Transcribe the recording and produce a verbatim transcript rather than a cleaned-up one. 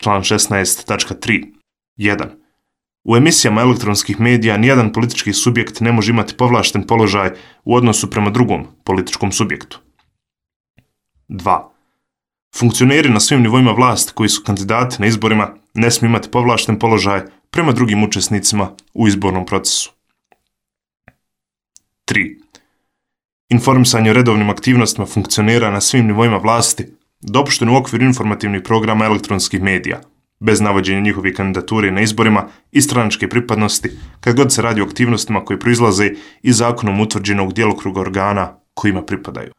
član šesnaest tačka tri. jedan. U emisijama elektronskih medija nijedan politički subjekt ne može imati povlašten položaj u odnosu prema drugom političkom subjektu. dva. Funkcioneri na svim nivoima vlasti koji su kandidati na izborima ne smiju imati povlašten položaj prema drugim učesnicima u izbornom procesu. tri. Informisanje o redovnim aktivnostima funkcionera na svim nivoima vlasti dopušteno u okviru informativnih programa elektronskih medija, bez navođenja njihove kandidature na izborima i stranačke pripadnosti, kad god se radi o aktivnostima koje proizlaze iz zakonom utvrđenog djelokruga organa kojima pripadaju.